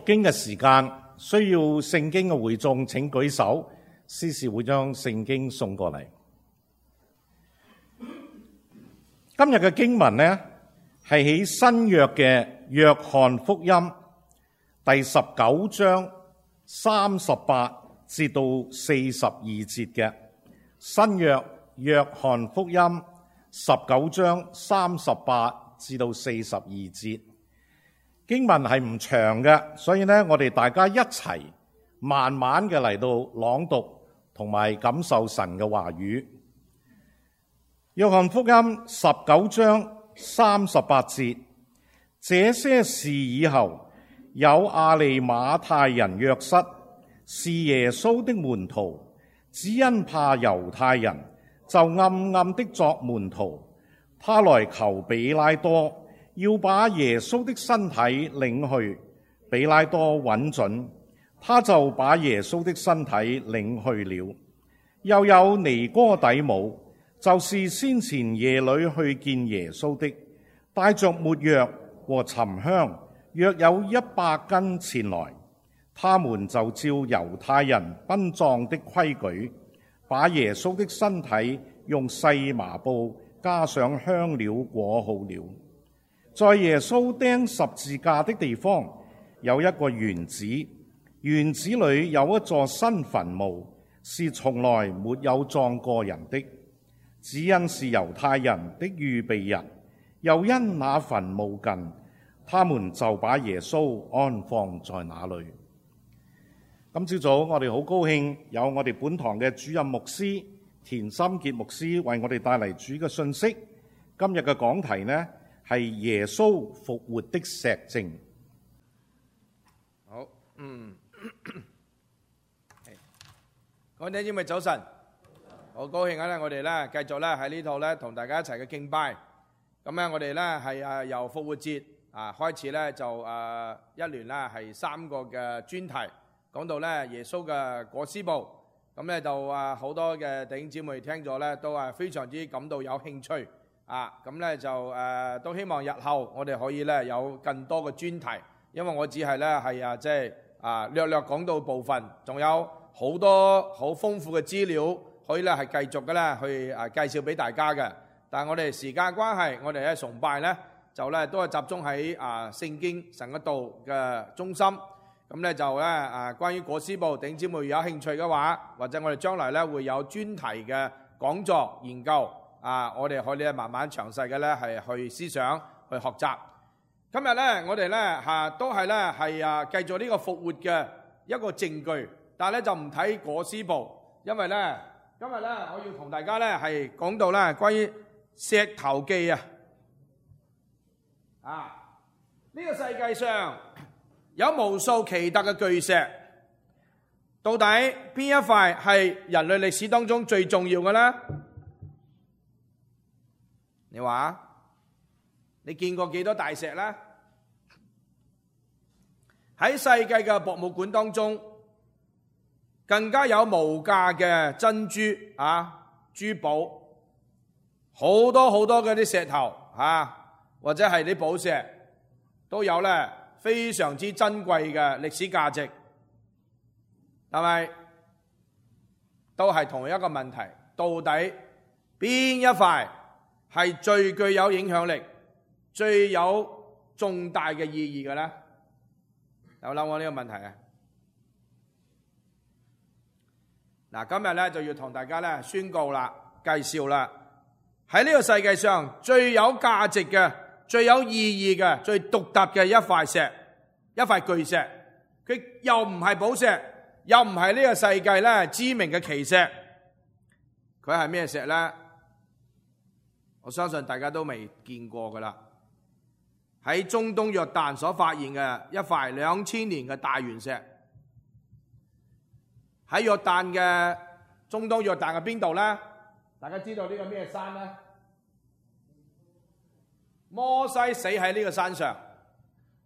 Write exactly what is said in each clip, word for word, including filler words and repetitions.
經嘅時間，需要聖經嘅會眾請舉手，司事會將聖經送過嚟。今日嘅經文呢，係喺新約嘅約翰福音第十九章三十八至到四十二節嘅。新約約翰福音十九章三十八至到四十二節。經文係唔長嘅，所以呢，我哋大家一齊慢慢嘅嚟到朗讀同埋感受神嘅話語。約翰福音十九章三十八節，這些事以後，有亞利馬太人約瑟，是耶穌的門徒，只因怕猶太人，就暗暗的作門徒。他來求比拉多，要把耶穌的身體領去。比拉多允准，他就把耶穌的身體領去了。又有尼哥底母，就是先前夜裏去見耶穌的，帶着沒藥和沉香，約有一百斤前來。他們就照猶太人殯葬的規矩，把耶穌的身體用細麻布加上香料裹好了。在耶穌釘十字架的地方，有一個園子，園子裏有一座新墳墓，是從來沒有葬過人的，只因是猶太人的預備日，又因那墳墓近，他們就把耶穌安放在那裏。今朝早我哋好高興有我哋本堂嘅主任牧師田心傑牧師為我哋帶嚟主嘅信息。今日嘅講題呢，係耶穌復活的石證。好，嗯，各位弟兄姊妹早晨，好高興啊！我哋咧繼續咧喺呢度咧同大家一齊嘅敬拜。咁咧我哋咧係誒由復活節啊開始咧就誒一連咧係三個嘅專題，講到咧耶穌嘅裹屍布。咁咧就啊好多嘅弟兄姊妹聽咗咧都係非常之感到有興趣。啊，咁咧就誒、呃、都希望日後我哋可以咧有更多嘅專題，因為我只係咧係啊即係啊略略講到部分，仲有好多好豐富嘅資料可以咧係繼續嘅咧去啊介紹俾大家嘅。但係我哋時間關係，我哋喺崇拜咧就咧都係集中喺啊聖經神嘅道嘅中心。咁咧就咧啊關於裹屍布，弟兄姊妹有興趣嘅話，或者我哋將來咧會有專題嘅講座研究。啊！我哋可以咧慢慢詳細嘅咧係去思想去學習。今日咧我哋咧嚇都係咧係啊繼續呢個復活嘅一個證據，但係咧就唔睇裹屍布，因為咧今日咧我要同大家咧係講到咧關於石頭記啊！啊！呢個世界上有無數奇特嘅巨石，到底邊一塊係人類歷史當中最重要嘅咧？你話你見過幾多大石呢？喺世界嘅博物館當中，更加有無價嘅珍珠啊、珠寶，好多好多嘅啲石頭啊，或者係啲寶石，都有咧非常之珍貴嘅歷史價值。但係都係同一個問題，到底邊一塊係最具有影響力、最有重大嘅意義嘅咧？有諗過呢個問題啊？嗱，今日咧就要同大家咧宣告啦、介紹啦，喺呢個世界上最有價值嘅、最有意義嘅、最獨特嘅一塊石、一塊巨石，佢又唔係寶石，又唔係呢個世界咧知名嘅奇石，佢係咩石咧？我相信大家都未見過噶啦，喺中東約旦所發現嘅一塊兩千年嘅大圓石，喺約旦嘅中東約旦嘅邊度呢？大家知道呢個咩山呢？摩西死喺呢個山上，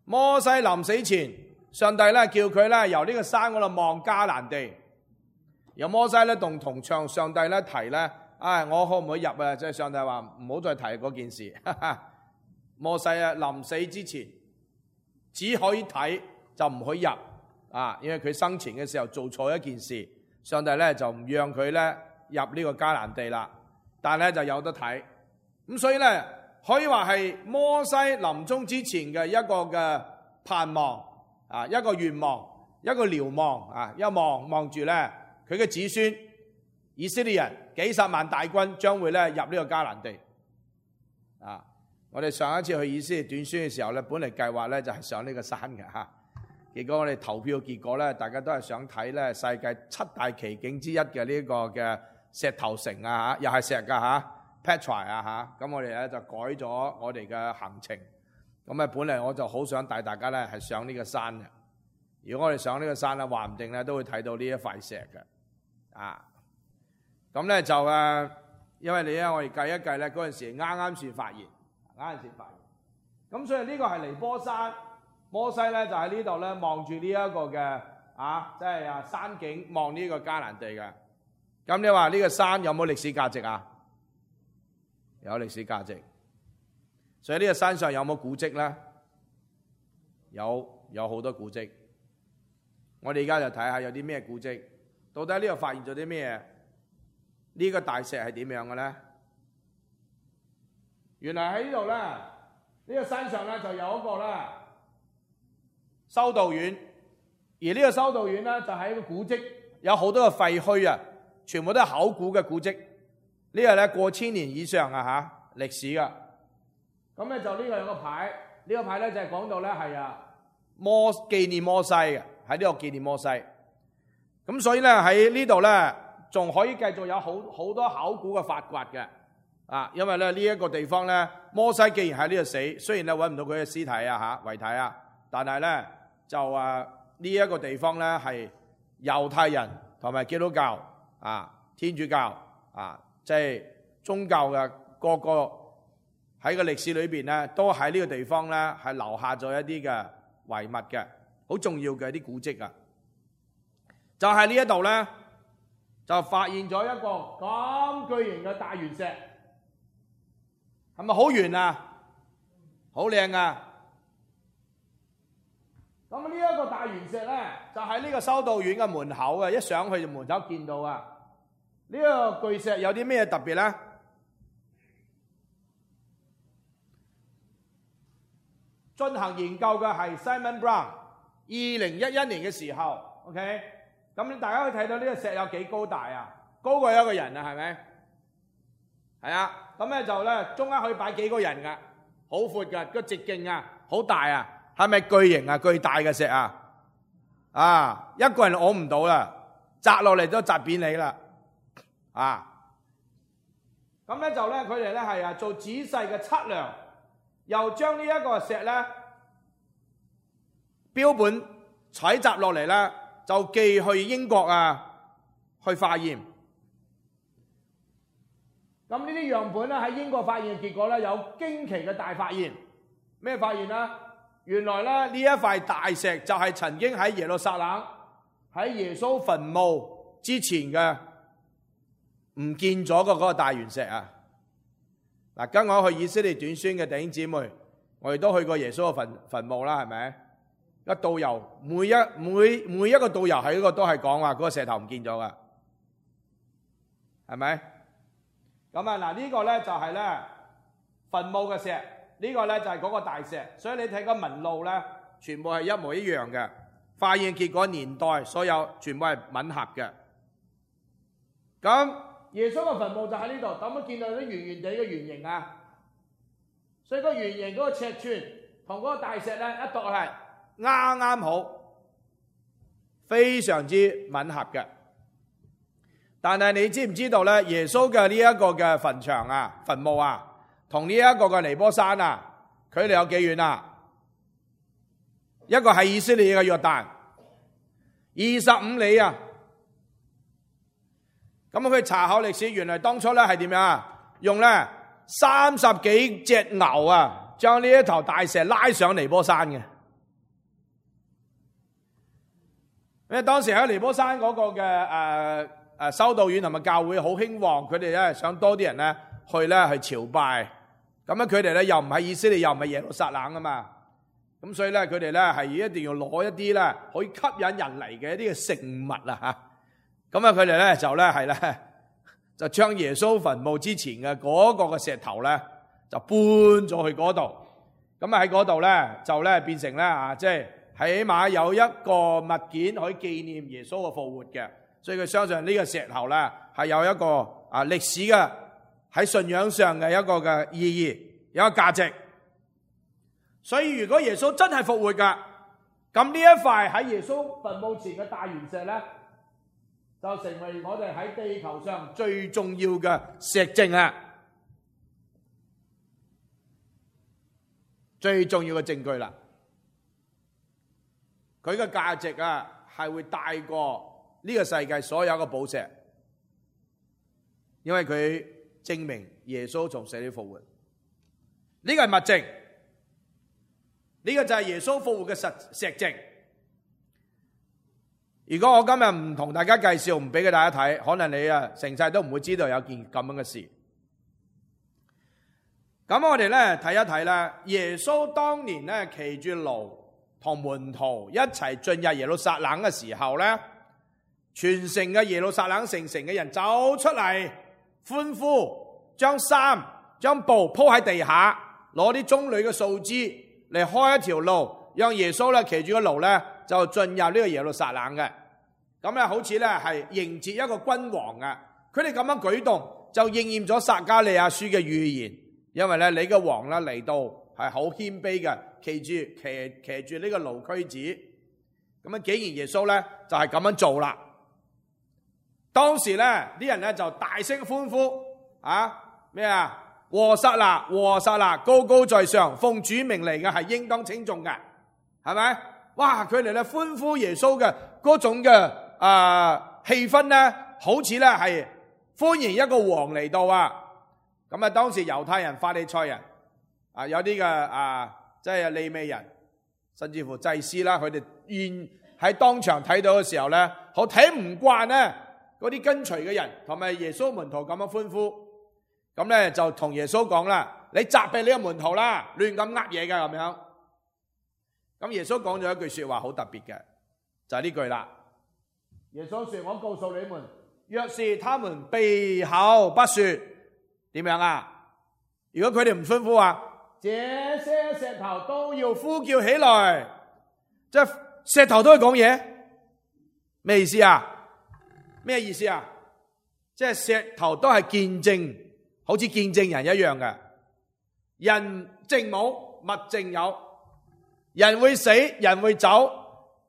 摩西臨死前，上帝咧叫佢咧由呢個山嗰度望迦南地，由摩西咧同同唱上帝咧提咧。唉、哎，我可唔可以入啊？即係上帝話唔好再提嗰件事。哈哈，摩西啊，臨死之前只可以睇就唔許入啊，因為佢生前嘅時候做錯一件事，上帝咧就唔讓佢咧入呢個迦南地啦。但係咧就有得睇，咁所以咧可以話係摩西臨終之前嘅一個嘅盼望啊，一個願望，一個瞭望啊，一望望住咧佢嘅子孫以色列人幾十萬大軍將會咧入呢個迦南地啊！我哋上一次去以色列短宣嘅時候咧，本嚟計劃咧就係上呢個山嘅嚇，結果我哋投票結果咧，大家都係想睇咧世界七大奇景之一嘅呢個嘅石頭城啊嚇，又係石㗎嚇 Petra 啊嚇，咁我哋咧就改咗我哋嘅行程。咁啊，本嚟我就好想帶大家咧係上呢個山嘅。如果我哋上呢個山咧，話唔定咧都會睇到呢一塊石嘅啊。咁咧就誒，因為你咧，我哋計一計咧，嗰陣時啱啱先發現，啱啱先發現。咁所以呢個係尼波山，摩西咧就喺呢度咧望住呢一個嘅啊，即係啊山景望呢個迦南地嘅。咁你話呢個山有冇歷史價值啊？有歷史價值。所以呢個山上有冇古蹟咧？有，有好多古蹟。我哋而家就睇下有啲咩古蹟，到底呢度發現咗啲咩？呢個大石係點樣嘅咧？原來喺呢度咧，呢個山上咧就有一個咧修道院，而呢個修道院咧就係一個古蹟，有好多嘅廢墟啊，全部都係考古嘅古蹟。呢個咧過千年以上啊嚇歷史噶。咁咧就呢個有個牌，呢個牌咧就係講到咧係啊摩紀念摩西嘅，喺呢度紀念摩西。咁所以咧喺呢度咧仲可以繼續有好好多考古嘅發掘嘅啊，因為咧呢一個地方咧摩西既然喺呢度死，雖然咧揾唔到佢嘅屍體啊嚇遺體啊，但係咧就啊呢一個地方咧係猶太人同埋基督教啊天主教啊即係宗教嘅個個。喺個歷史裏邊咧，都喺呢個地方咧係留下咗一啲嘅遺物嘅，好重要嘅一啲古蹟啊！就喺呢一度咧，就發現咗一個咁巨型嘅大圓石，係咪好圓啊？好靚啊！咁呢一個大圓石咧，就喺呢個修道院嘅門口啊！一上去就門口見到啊！呢個巨石有啲咩特別咧？進行研究嘅係 Simon Brown， 二零一一年嘅時候 ，OK， 咁大家可以睇到呢個石有幾高大啊？高過一個人啊，係咪？係啊，咁咧就咧中間可以擺幾個人噶，好闊噶，個直徑啊，好大啊，係咪巨型啊？巨大嘅石啊，啊，一個人攞唔到啦，砸落嚟都砸扁你啦，啊，咁咧就咧佢哋咧係啊做仔細嘅測量。又將呢一個石咧標本採集落嚟咧，就寄去英國啊去化驗。咁呢啲樣本咧喺英國發現嘅結果咧，有驚奇嘅大發現。咩發現啊？原來咧呢一塊大石就係曾經喺耶路撒冷喺耶穌墳墓之前嘅唔見咗嘅嗰個大圓石啊！嗱，跟我去以色列短宣嘅弟兄姊妹，我哋都去過耶穌嘅墳墳墓啦，係咪？一導遊每一每每一個導遊喺嗰個都係講話嗰個石頭唔見咗噶，係咪？咁啊嗱，呢個咧就係咧墳墓嘅石，呢個咧就係嗰個大石，所以你睇個紋路咧，全部係一模一樣嘅。化驗結果年代所有全部係吻合嘅。咁耶穌嘅墳墓就喺呢度，咁樣見到啲圓圓地嘅圓形啊，所以個圓形嗰個尺寸同嗰個大石咧一度係啱啱好，非常之吻合嘅。但係你知唔知道咧？耶穌嘅呢一個嘅墳場啊、墳墓啊，同呢一個嘅尼波山啊，距離有幾遠啊？一個係以色列嘅約旦，二十五里啊！咁佢查考歷史，原來當初咧係點樣啊？用咧三十幾隻牛啊，將呢一頭大石拉上尼波山嘅。因為當時喺尼波山嗰個嘅誒誒修道院同埋教會好興旺，佢哋咧想多啲人咧去咧去朝拜。咁樣佢哋咧又唔係以色列，又唔係耶路撒冷啊嘛。咁所以咧佢哋咧係一定要攞一啲咧可以吸引人嚟嘅一啲嘅聖物啊吓。咁啊佢哋咧就咧係咧就將耶穌墳墓之前嘅嗰個嘅石頭咧就搬咗去嗰度。咁啊喺嗰度咧就咧變成咧啊即係起碼有一個物件可以紀念耶穌嘅復活嘅。所以佢相信呢個石頭咧係有一個啊歷史嘅喺信仰上嘅一個嘅意義，有一個價值。所以如果耶穌真係復活噶，咁呢一塊喺耶穌墳墓前嘅大圓石咧，就成為我哋喺地球上最重要嘅石證啊，最重要嘅證據啦。佢嘅價值啊，係會大過呢個世界所有嘅寶石，因為佢證明耶穌從死裡復活。呢個係物證，呢個就係耶穌復活嘅實石證。如果我今日唔同大家介紹，唔俾佢大家睇，可能你啊成世都唔會知道有件咁樣嘅事。咁我哋咧睇一睇啦，耶穌當年咧騎住驢同門徒一齊進入耶路撒冷嘅時候咧，全城嘅耶路撒冷城城嘅人走出嚟歡呼，將衫將布鋪喺地下，攞啲棕櫚嘅樹枝嚟開一條路，讓耶穌咧騎住個驢咧就進入呢個耶路撒冷嘅。咁咧好似咧係迎接一個君王啊！佢哋咁樣舉動就應驗咗撒迦利亞書嘅預言，因為咧你嘅王咧嚟到係好謙卑嘅，騎住騎騎住呢個驢駒子。咁啊，竟然耶穌咧就係咁樣做啦。當時咧啲人咧就大聲歡呼啊咩啊！和散那，和散那，高高在上，奉主名嚟嘅係應當稱頌嘅，係咪？哇！佢哋咧歡呼耶穌嘅嗰種嘅啊氣氛咧，好似咧係歡迎一個王嚟到啊！咁啊，當時猶太人、法利賽人啊，有啲嘅啊，即係利未人，甚至乎祭司啦，佢哋現喺當場睇到嘅時候咧，好睇唔慣咧嗰啲跟隨嘅人同埋耶穌門徒咁樣歡呼。咁咧就同耶穌講啦，你責備你個門徒啦，亂咁呃嘢噶咁樣。咁耶穌講咗一句說話好特別嘅，就係呢句啦。耶穌說：我告訴你們，若是他們閉口不說，點樣啊？如果佢哋唔歡呼啊，這些石頭都要呼叫起來，即係石頭都會講嘢，咩意思啊？咩意思啊？即係石頭都係見證。好似見證人一樣嘅，人證冇，物證有。人會死，人會走，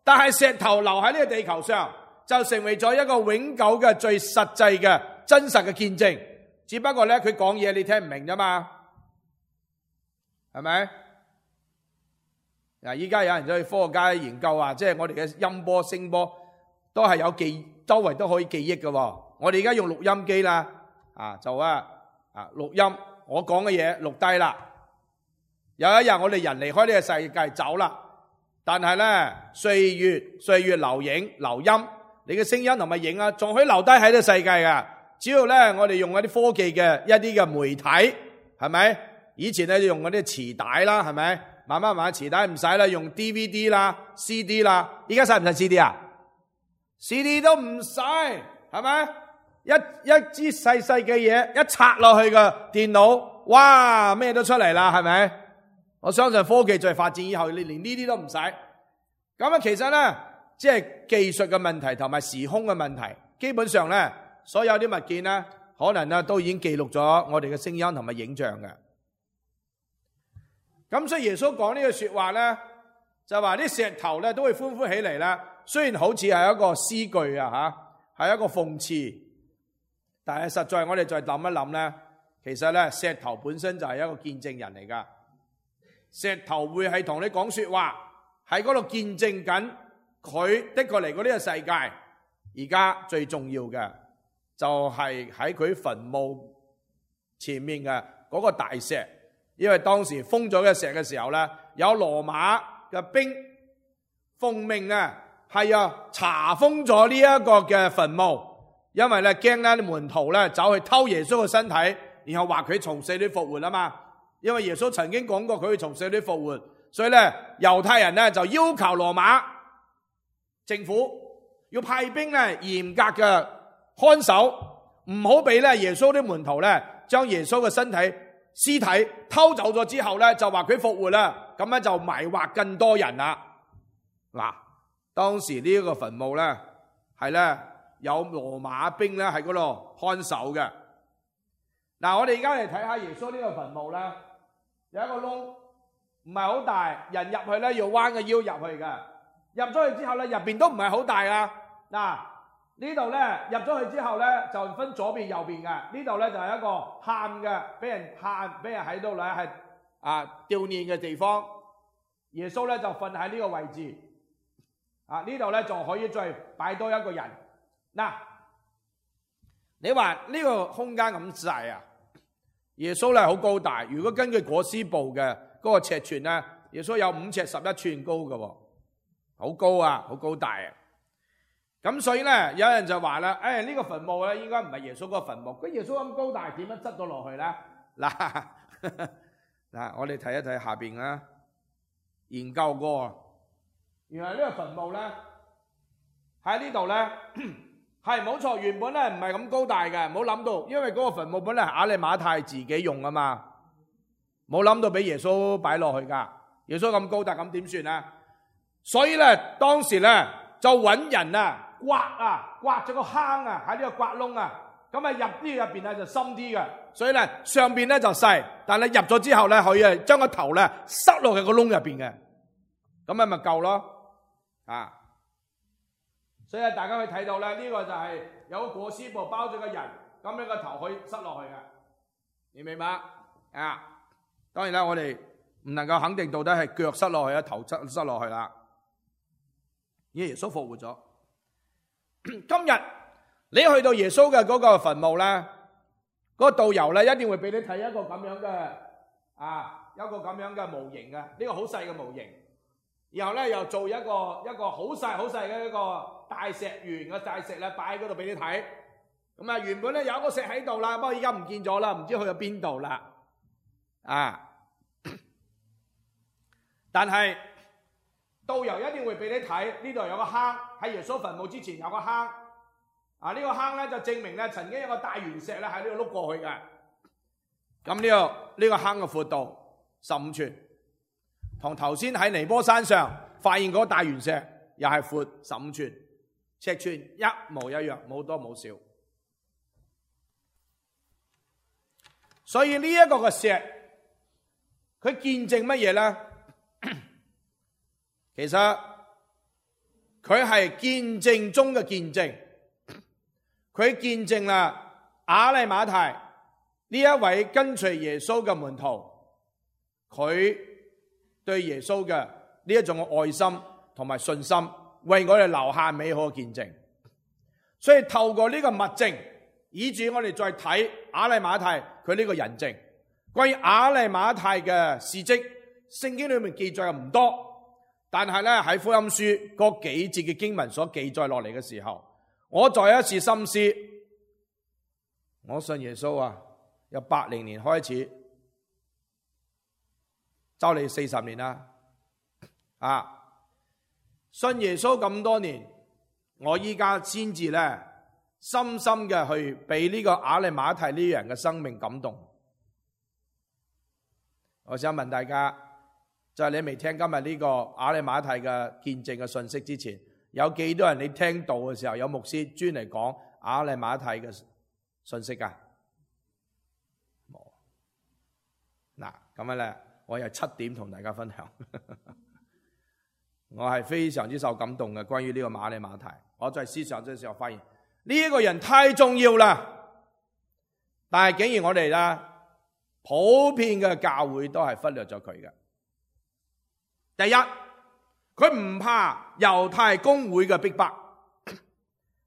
但係石頭留喺呢個地球上，就成為咗一個永久嘅最實際嘅真實嘅見證。只不過咧，佢講嘢你聽唔明啫嘛，係咪？嗱，依家有人走去科學家研究啊，即係我哋嘅音波、聲波都係有記，周圍都可以記憶嘅。我哋而家用錄音機啦，啊就啊。啊！錄音，我講嘅嘢錄低啦。有一日我哋人離開呢個世界走啦，但係咧歲月歲月留影留音，你嘅聲音同埋影啊，仲可以留低喺呢個世界噶。只要咧我哋用一啲科技嘅一啲嘅媒體，係咪？以前咧用嗰啲磁帶啦，係咪？慢慢慢慢磁帶唔使啦，用 D V D 啦、C D 啦。依家使唔使 C D 啊 ？C D 都唔使，係咪？一一支細細嘅嘢，一插落去嘅電腦，哇，咩都出嚟啦，係咪？我相信科技再發展以後，你連呢啲都唔使。咁啊，其實咧，即係技術嘅問題同埋時空嘅問題，基本上咧，所有啲物件咧，可能咧都已經記錄咗我哋嘅聲音同埋影像嘅。咁所以耶穌講呢句說話咧，就話啲石頭咧都會歡呼起嚟啦。雖然好似係一個詩句啊，吓，係一個諷刺。但係實在我哋再諗一諗咧，其實咧石頭本身就係一個見證人嚟噶，石頭會係同你講說話，喺嗰度見證緊佢的確嚟過呢個世界。而家最重要嘅就係喺佢墳墓前面嘅嗰個大石，因為當時封咗嘅石嘅時候咧，有羅馬嘅兵奉命啊，係啊查封咗呢一個嘅墳墓。因為咧驚咧啲門徒咧走去偷耶穌嘅身體，然後話佢從死裏復活啊嘛。因為耶穌曾經講過佢會從死裏復活，所以咧猶太人咧就要求羅馬政府要派兵咧嚴格嘅看守，唔好俾咧耶穌啲門徒咧將耶穌嘅身體屍體偷走咗之後咧就話佢復活啦，咁咧就迷惑更多人啦。嗱，當時呢一個墳墓咧係咧有羅馬兵咧喺嗰度看守嘅。嗱，我哋而家嚟睇下耶穌呢個墳墓咧，有一個窿，唔係好大，人入去咧要彎個腰入去嘅。入咗去之後咧，入邊都唔係好大啊。嗱，呢度咧入咗去之後咧就分左邊右邊嘅。呢度咧就係一個喊嘅，俾人喊，俾人喺度咧係啊悼念嘅地方。耶穌咧就瞓喺呢個位置。啊，呢度咧就可以再擺多一個人。嗱，你話呢個空間咁細啊？耶穌咧好高大，如果根據裹屍布嘅嗰個尺寸咧，耶穌有五尺十一寸高嘅，好高啊，好高大啊！咁所以咧，有人就話啦，誒呢個墳墓咧應該唔係耶穌嗰個墳墓，佢耶穌咁高大，點樣執到落去咧？嗱嗱，我哋睇一睇下邊啦，研究過。原來呢個墳墓咧喺呢度咧係冇錯，原本咧唔係咁高大嘅，唔好諗到，因為嗰個墳墓本嚟係亞利馬太自己用啊嘛，冇諗到俾耶穌擺落去噶。耶穌咁高大，咁點算啊？所以咧當時咧就揾人啊刮啊刮咗個坑啊喺呢個刮窿啊，咁啊入啲入邊咧就深啲嘅，所以咧上邊咧就細，但係入咗之後咧可以將個頭咧塞落去個窿入邊嘅，咁咪咪夠咯。啊，所以大家可以睇到咧，呢個就係有個裹屍布包咗個人，咁樣個頭可以塞落去嘅，你明白？啊，當然啦，我哋唔能夠肯定到底係腳塞落去啊，頭塞塞落去啦。耶穌復活咗，今日你去到耶穌嘅嗰個墳墓咧，嗰個導遊咧一定會俾你睇一個咁樣嘅啊，一個咁樣嘅模型嘅，呢個好細嘅模型。然後咧又做一個一個好細好細嘅一個大石圓嘅大石咧擺喺嗰度俾你睇。咁啊原本咧有一個石喺度啦，不過而家唔見咗啦，唔知去咗邊度啦。啊！但係導遊一定會俾你睇，呢度有個坑，喺耶穌墳墓之前有個坑。啊呢個坑咧就證明咧曾經有個大圓石咧喺呢度碌過去嘅。咁呢個呢個坑嘅闊度十五寸。同頭先喺尼波山上發現嗰個大圓石又係闊十五寸，尺寸一模一樣，冇多冇少。所以呢一個嘅石，佢見證乜嘢咧？其實佢係見證中嘅見證，佢見證啦亞利馬太呢一位跟隨耶穌嘅門徒，佢對耶穌嘅呢一種嘅愛心同埋信心，為我哋留下美好嘅見證。所以透過呢個物證，以至我哋再睇亞利馬太佢呢個人證。關於亞利馬太嘅事蹟，聖經裏面記載又唔多，但係咧喺福音書嗰幾節嘅經文所記載落嚟嘅時候，我再一次深思，我信耶穌啊，由八零年開始，就嚟四十年啦，啊，信耶穌咁多年，我依家先至咧深深嘅去俾呢個亞利馬太呢人嘅生命感動。我想問大家，就係你未聽今日呢個亞利馬太嘅見證嘅信息之前，有幾多人你聽到嘅時候有牧師專嚟講亞利馬太嘅信息啊？冇。嗱，咁樣咧，我有七點同大家分享。我係非常之受感動嘅，關於呢個亞利馬太。我在思想嘅時候發現呢一個人太重要啦，但係竟然我哋啦普遍嘅教會都係忽略咗佢嘅。第一，佢唔怕猶太公會嘅逼迫。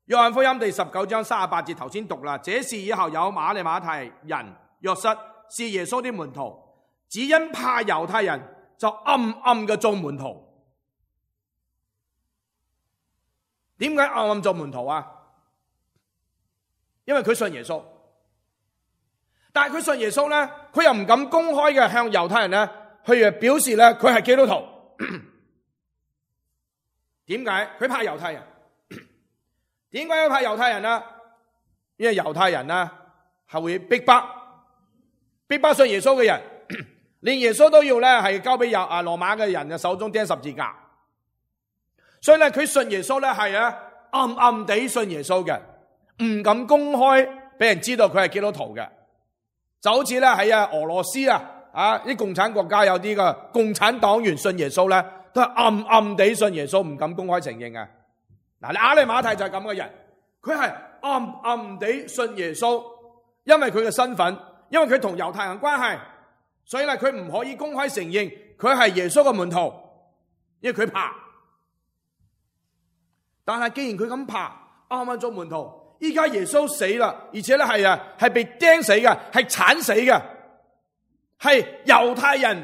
約翰福音第十九章三十八節頭先讀啦，這事以後有亞利馬太人約瑟是耶穌的門徒，只因怕猶太人，就暗暗嘅做門徒。點解暗暗做門徒啊？因為佢信耶穌，但係佢信耶穌咧，佢又唔敢公開嘅向猶太人咧去表示咧佢係基督徒。點解？佢怕猶太人。點解要怕猶太人啊？因為猶太人啊係會逼迫逼迫信耶穌嘅人，連耶穌都要咧係交俾猶啊羅馬嘅人嘅手中釘十字架。所以咧佢信耶穌咧係啊暗暗地信耶穌嘅，唔敢公開俾人知道佢係基督徒嘅。就好似咧喺啊俄羅斯啊啊啲共產國家有啲嘅共產黨員信耶穌咧，都係暗暗地信耶穌，唔敢公開承認啊。嗱，你亞利馬太就係咁嘅人，佢係暗暗地信耶穌，因為佢嘅身份，因為佢同猶太人關係，所以咧佢唔可以公開承認佢係耶穌嘅門徒，因為佢怕。但係既然佢咁怕，啱啱做門徒，依家耶穌死啦，而且咧係啊係被釘死嘅，係鏟死嘅，係猶太人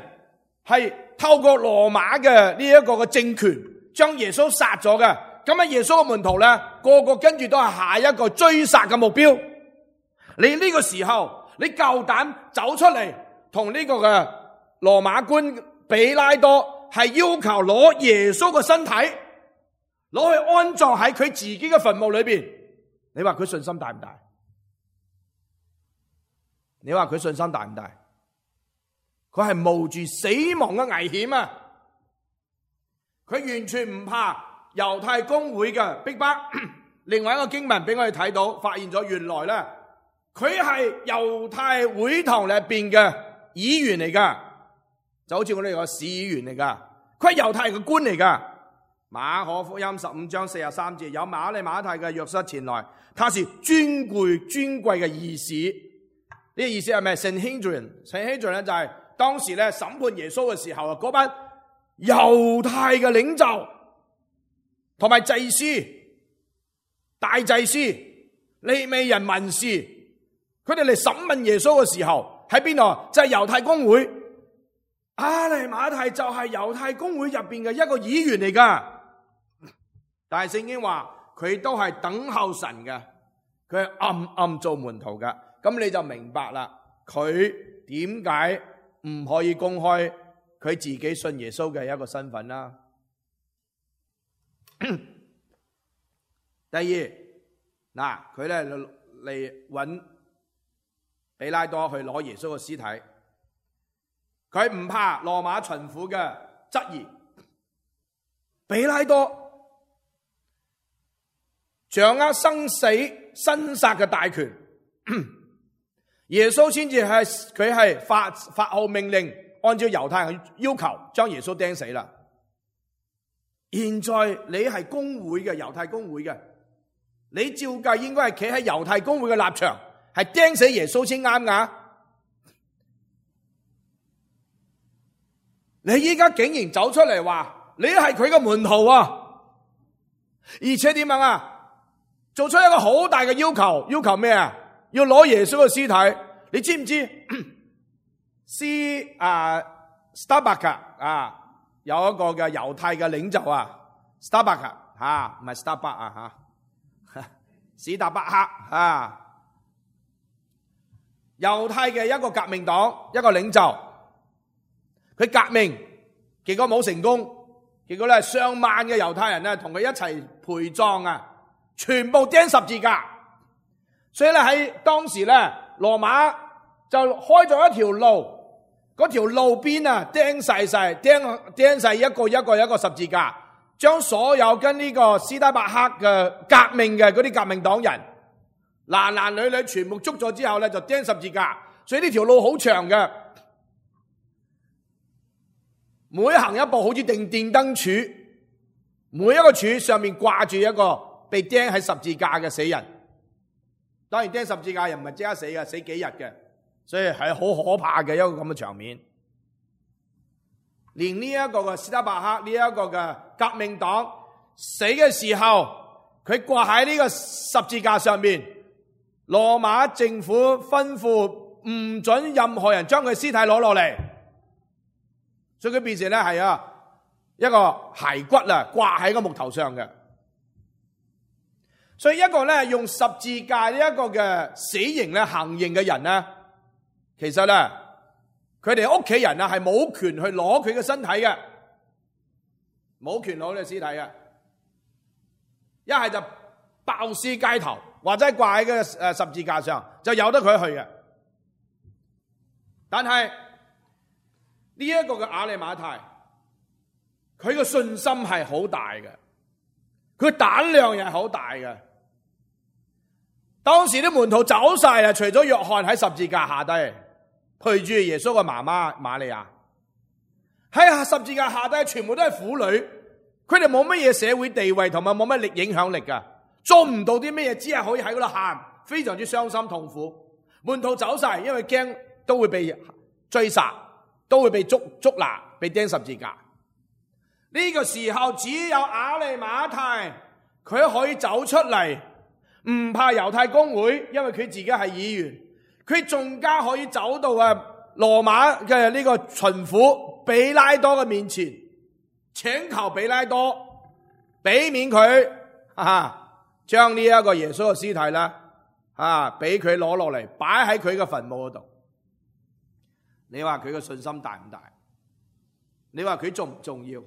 係透過羅馬嘅呢一個嘅政權將耶穌殺咗嘅。咁啊，耶穌嘅門徒咧，個個跟住都係下一個追殺嘅目標。你呢個時候，你夠膽走出嚟同呢個嘅羅馬官比拉多係要求攞耶穌嘅身體，攞去安葬喺佢自己嘅墳墓裏邊。你話佢信心大唔大？你話佢信心大唔大？佢係冒住死亡嘅危險啊！佢完全唔怕猶太公會嘅逼迫。另外一個經文俾我哋睇到，發現咗原來咧，佢係猶太會堂裏邊嘅議員嚟噶，就好似我哋個市議員嚟噶。佢係猶太嘅官嚟噶。馬可福音十五章四十三節，有馬利馬太嘅約瑟前來，他是尊貴尊貴嘅議士。呢個意思係咩？Sanhedrin，Sanhedrin咧就係當時咧審判耶穌嘅時候啊，嗰班猶太嘅領袖同埋祭司、大祭司、利未人、文士，佢哋嚟審問耶穌嘅時候喺邊度？就係猶太公會。亞利馬太就係猶太公會入邊嘅一個議員嚟噶。但係聖經話佢都係等候神嘅，佢係暗暗做門徒嘅。咁你就明白啦，佢點解唔可以公開佢自己信耶穌嘅一個身份啦？第二，嗱，佢咧嚟揾比拉多去攞耶穌嘅屍體，佢唔怕羅馬巡撫嘅質疑。比拉多掌握生死生殺嘅大權，耶穌先至係佢係發發號命令，按照猶太人嘅要求將耶穌釘死啦。現在你係公會嘅猶太公會嘅，你照計應該係企喺猶太公會嘅立場，係釘死耶穌先啱噶。你依家竟然走出嚟話你係佢嘅門徒啊，而且點樣啊？做出一個好大嘅要求，要求咩啊？要攞耶穌嘅屍體。你知唔知？斯啊 Starbuck 啊，有一個嘅猶太嘅領袖啊 ，Starbuck 吓，唔係 Starbuck 啊吓，史達伯克啊，猶太嘅一個革命黨一個領袖，佢革命結果冇成功，結果咧上萬嘅猶太人咧同佢一齊陪葬啊，全部釘十字架。所以咧喺當時咧，羅馬就開咗一條路，嗰條路邊啊釘晒晒，釘釘晒一個一個一個十字架，將所有跟呢個斯德伯克嘅革命嘅嗰啲革命黨人，男男女女全部捉咗之後咧就釘十字架。所以呢條路好長嘅，每行一步好似定電燈柱，每一個柱上面掛住一個被釘喺十字架嘅死人。當然釘十字架又唔係即刻死嘅，死幾日嘅，所以係好可怕嘅一個咁嘅場面。連呢一個嘅斯德伯克呢一個嘅革命黨死嘅時候，佢掛喺呢個十字架上面，羅馬政府吩咐唔准任何人將佢屍體攞落嚟，所以佢變成咧係啊一個骸骨啊掛喺個木頭上嘅。所以一個咧用十字架呢一個嘅死刑咧行刑嘅人咧，其實咧佢哋屋企人啊係冇權去攞佢嘅身體嘅，冇權攞佢嘅屍體嘅，一係就爆屍街頭，或者掛喺嘅誒十字架上，就由得佢去嘅。但係呢一個嘅亞利馬太，佢嘅信心係好大嘅，佢膽量又係好大嘅。當時啲門徒走晒啦，除咗約翰喺十字架下低陪住耶穌嘅媽媽瑪利亞，喺十字架下低全部都係婦女，佢哋冇乜嘢社會地位同埋冇乜力影響力噶，做唔到啲乜嘢，只係可以喺嗰度喊，非常之傷心痛苦。門徒走晒，因為驚都會被追殺，都會被捉捉拿，被釘十字架。呢個時候只有亞利馬太，佢可以走出嚟。唔怕猶太公會，因為佢自己係議員，佢仲加可以走到啊羅馬嘅呢個巡撫比拉多嘅面前，請求比拉多俾面佢，啊，將呢一個耶穌嘅屍體啦，啊，俾佢攞落嚟擺喺佢嘅墳墓嗰度。你話佢嘅信心大唔大？你話佢重唔重要？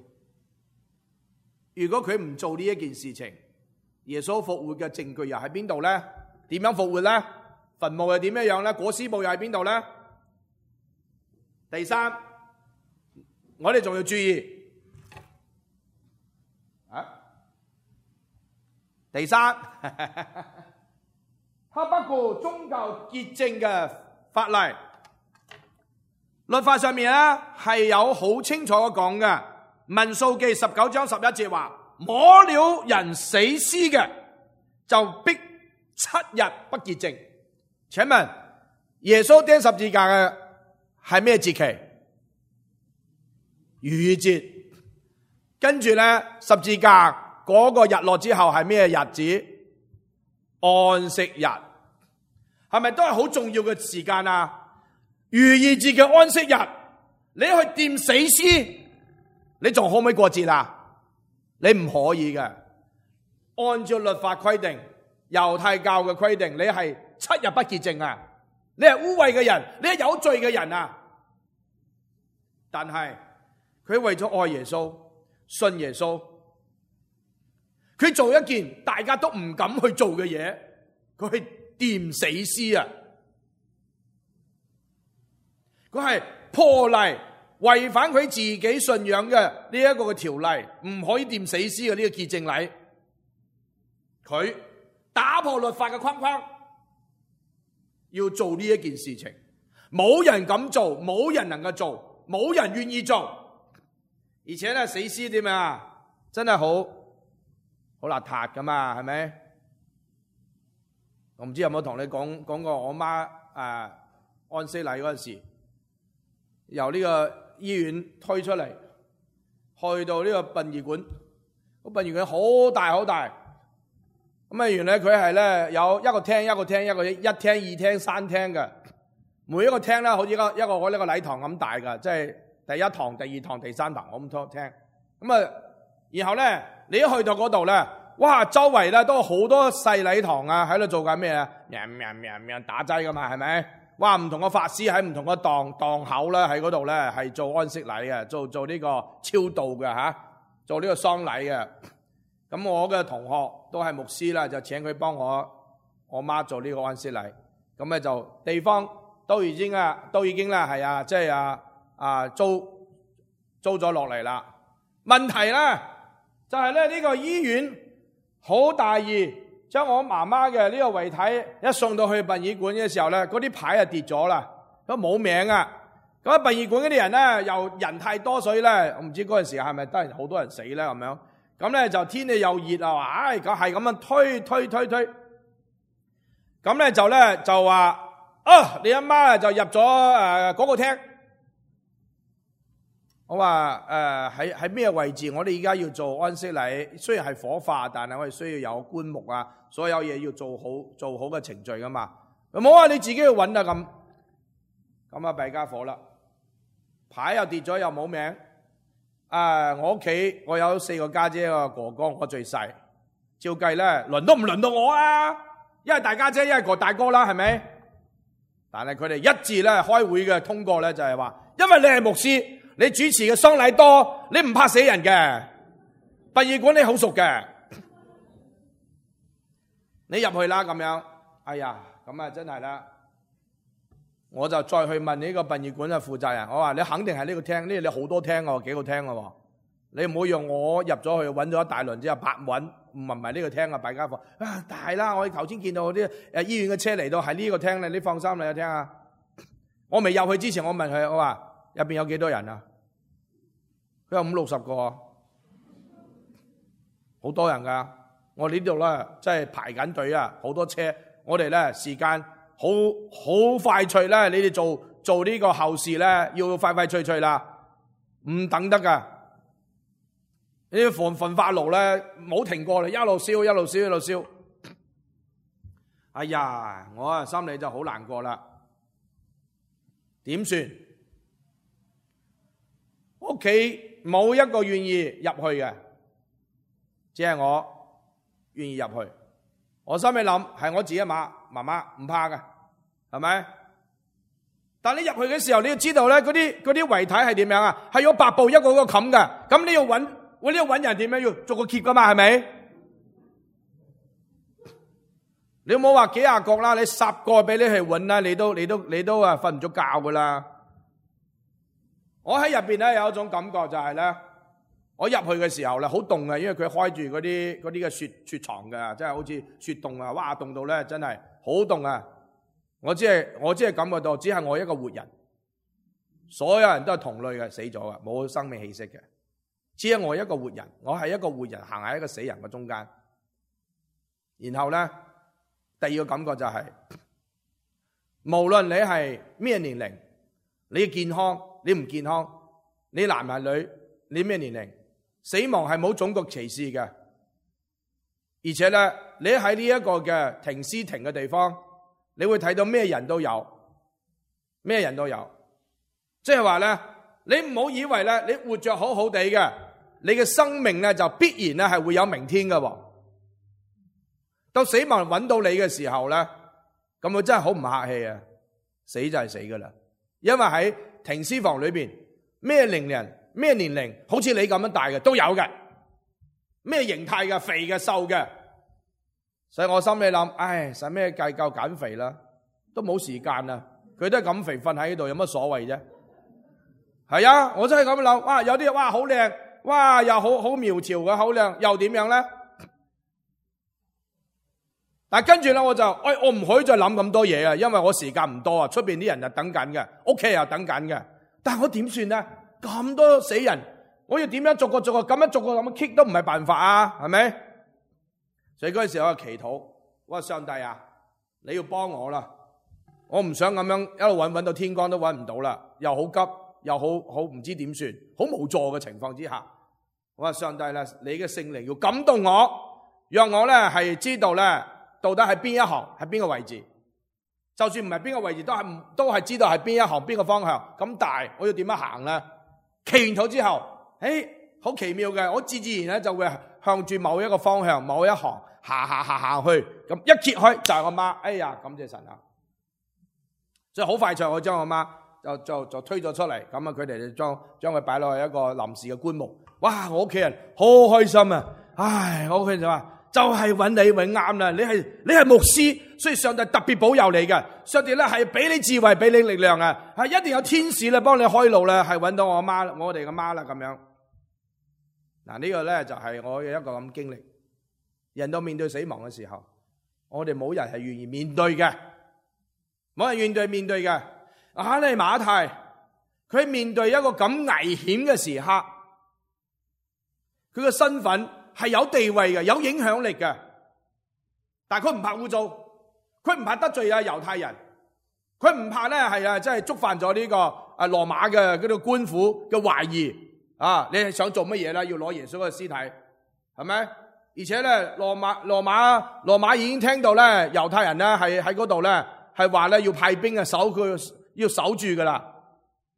如果佢唔做呢一件事情，耶穌復活嘅證據又喺邊度咧？點樣復活咧？墳墓又點樣樣咧？裹屍布又喺邊度咧？第三，我哋仲要注意啊！第三，他不顧宗教潔淨嘅法例，律法上面咧係有好清楚嘅講嘅。民數記十九章十一節話，摸了人死屍嘅，就必七日不潔淨。請問耶穌釘十字架嘅係咩節期？逾越節。跟住咧十字架嗰個日落之後係咩日子？安息日。係咪都係好重要嘅時間啊？逾越節嘅安息日，你去掂死屍，你仲可唔可以過節啊？你唔可以嘅，按照律法規定，猶太教嘅規定，你係七日不潔淨啊！你係污穢嘅人，你係有罪嘅人啊！但係佢為咗愛耶穌、信耶穌，佢做一件大家都唔敢去做嘅嘢，佢去掂死屍啊！佢係破例。違反佢自己信仰嘅呢一個嘅條例，唔可以掂死屍嘅呢個潔淨禮，佢打破律法嘅框框，要做呢一件事情，冇人敢做，冇人能夠做，冇人願意做，而且咧死屍點啊？真係好好邋遢噶嘛，係咪？我唔知有冇同你講講過我媽誒、啊、安息禮嗰陣時，由呢個醫院推出嚟，去到呢個殯儀館，個殯儀館好大好大，咁啊原來佢係咧有一個廳一個廳一個一廳二廳三廳嘅，每一個廳咧好似一個一個我呢個禮堂咁大噶，即係第一堂、第二堂、第三堂咁多廳，咁啊然後咧你一去到嗰度咧，哇周圍咧都好多細禮堂啊，喺度做緊咩啊？喵喵喵喵打齋噶嘛，係咪？哇！唔同嘅法師喺唔同嘅檔檔口咧，喺嗰度咧係做安息禮嘅，做做呢個超度嘅吓，做呢個喪禮嘅。咁我嘅同學都係牧師啦，就請佢幫我我媽做呢個安息禮。咁咧就地方都已經啊，都已經啦係啊，即係啊啊租租咗落嚟啦。問題咧就係咧呢個醫院好大意。將我媽媽嘅呢個遺體一送到去殯儀館嘅時候咧，嗰啲牌啊跌咗啦，都冇名啊！咁啊殯儀館嗰啲人咧又人太多，所以咧我唔知嗰陣時係咪都係好多人死咧咁樣。咁咧就天氣又熱啊，話唉咁係咁樣推推推推。咁咧就咧就話啊，你阿媽就入咗誒嗰個廳。我話誒喺喺咩位置？我哋而家要做安息禮，雖然係火化，但係我哋需要有棺木啊，所有嘢要做好做好嘅程序噶嘛。冇話你自己去揾啊咁，咁啊弊家伙啦，牌又跌咗又冇名。啊，我屋企我有四個家姐，一個哥哥，我最細。照計咧，輪都唔輪到我啊！一係大家姐，一係個大哥啦，係咪？但係佢哋一致咧開會嘅通過咧，就係話。因為你係牧師，你主持嘅喪禮多，你唔怕死人嘅。殯儀館你好熟嘅，你入去啦咁樣。哎呀，咁啊真係啦，我就再去問呢個殯儀館嘅負責人，我話你肯定係呢個廳，呢度你好多廳喎，幾個廳喎，你唔好用我入咗去揾咗一大輪之後白揾，唔係唔係呢個廳啊，弊家伙啊大啦！我頭先見到啲誒醫院嘅車嚟到係呢個廳咧，你放心你有廳啊。我未入去之前，我問佢，我話入邊有幾多人啊？佢話五六十個，好多人噶。我呢度咧即係排緊隊啊，好多車。我哋咧時間好好快脆咧，你哋做做呢個後事咧，要快快脆脆啦，唔等得噶。呢啲焚焚化爐咧冇停過啦，一路燒一路燒一路燒。哎呀，我啊心裏就好難過啦。點算？屋企冇一個願意入去嘅，只係我願意入去。我心裏諗係我自己媽媽媽唔怕嘅，係咪？但你入去嘅時候，你要知道咧，嗰啲嗰啲遺體係點樣啊？係用白布一個個冚嘅，咁你要揾我呢度揾人點樣？要做個揭噶嘛，係咪？你冇話幾廿個啦，你十個俾你去揾啦，你都你都你都啊瞓唔足覺噶啦。我喺入邊咧有一種感覺就係咧，我入去嘅時候咧好凍啊，因為佢開住嗰啲嗰啲嘅雪雪床嘅，真係好似雪凍啊，哇凍到咧真係好凍啊！我只係我只係感覺到，只係我一個活人，所有人都係同類嘅，死咗嘅，冇生命氣息嘅，只係我一個活人，我係一個活人行喺一個死人嘅中間。然後咧，第二個感覺就係，無論你係咩年齡，你健康，你唔健康，你男係女，你咩年齡，死亡係冇種族歧視嘅。而且咧，你喺呢一個嘅停屍亭嘅地方，你會睇到咩人都有，咩人都有。即係話咧，你唔好以為咧，你活着好好地嘅，你嘅生命咧就必然咧係會有明天嘅。到死亡揾到你嘅時候咧，咁佢真係好唔客氣啊！死就係死噶啦，因為喺停屍房裏邊，咩年齡、咩年齡，好似你咁樣大嘅都有嘅，咩形態嘅、肥嘅、瘦嘅，所以我心裏諗，唉，使咩計較減肥啦？都冇時間啦，佢都係咁肥，瞓喺呢度有乜所謂啫？係啊，我真係咁諗，哇，有啲哇好靚，哇又好好苗條嘅，好靚，又點樣咧？但係跟住咧，我就，哎，我唔可以再諗咁多嘢啊，因為我時間唔多啊，出邊啲人就等緊嘅，屋企又等緊嘅。但係我點算咧？咁多死人，我要點樣逐個逐個咁樣逐個咁樣 kick 都唔係辦法啊，係咪？所以嗰陣時我就祈禱，我話上帝啊，你要幫我啦，我唔想咁樣一路揾揾到天光都揾唔到啦，又好急，又好好唔知點算，好無助嘅情況之下，我話上帝啦，你嘅聖靈要感動我，讓我咧係知道咧。到底係邊一行，係邊個位置？就算唔係邊個位置，都係都係知道係邊一行，邊個方向。咁大，我要點樣行咧？祈完禱之後，誒，好奇妙嘅，我自自然咧就會向住某一個方向、某一行行行行行去。咁一揭開就係我媽。哎呀，感謝神啊！所以好快脆，我將我媽就就就推咗出嚟。咁啊，佢哋就將將佢擺落去一個臨時嘅棺木。哇！我屋企人好開心啊！唉，我屋企人就話。就係揾你永啱啦！你係你係牧師，所以上帝特別保佑你嘅。上帝咧係俾你智慧，俾你力量啊！係一定有天使咧幫你開路咧，係揾到我媽，我哋嘅媽啦咁樣。嗱、這個、呢個咧就係、是、我嘅一個咁經歷。人到面對死亡嘅時候，我哋冇人係願意面對嘅，冇人願意面對嘅。亞利馬太，佢面對一個咁危險嘅時刻，佢嘅身份。係有地位嘅，有影響力嘅，但係佢唔怕污糟，佢唔怕得罪啊猶太人，佢唔怕咧係啊，即係觸犯咗呢個啊羅馬嘅嗰個官府嘅懷疑啊！你係想做乜嘢啦？要攞耶穌嘅屍體，係咪？而且咧，羅馬羅馬羅馬已經聽到咧，猶太人咧係喺嗰度咧係話咧要派兵啊守佢，要守住噶啦，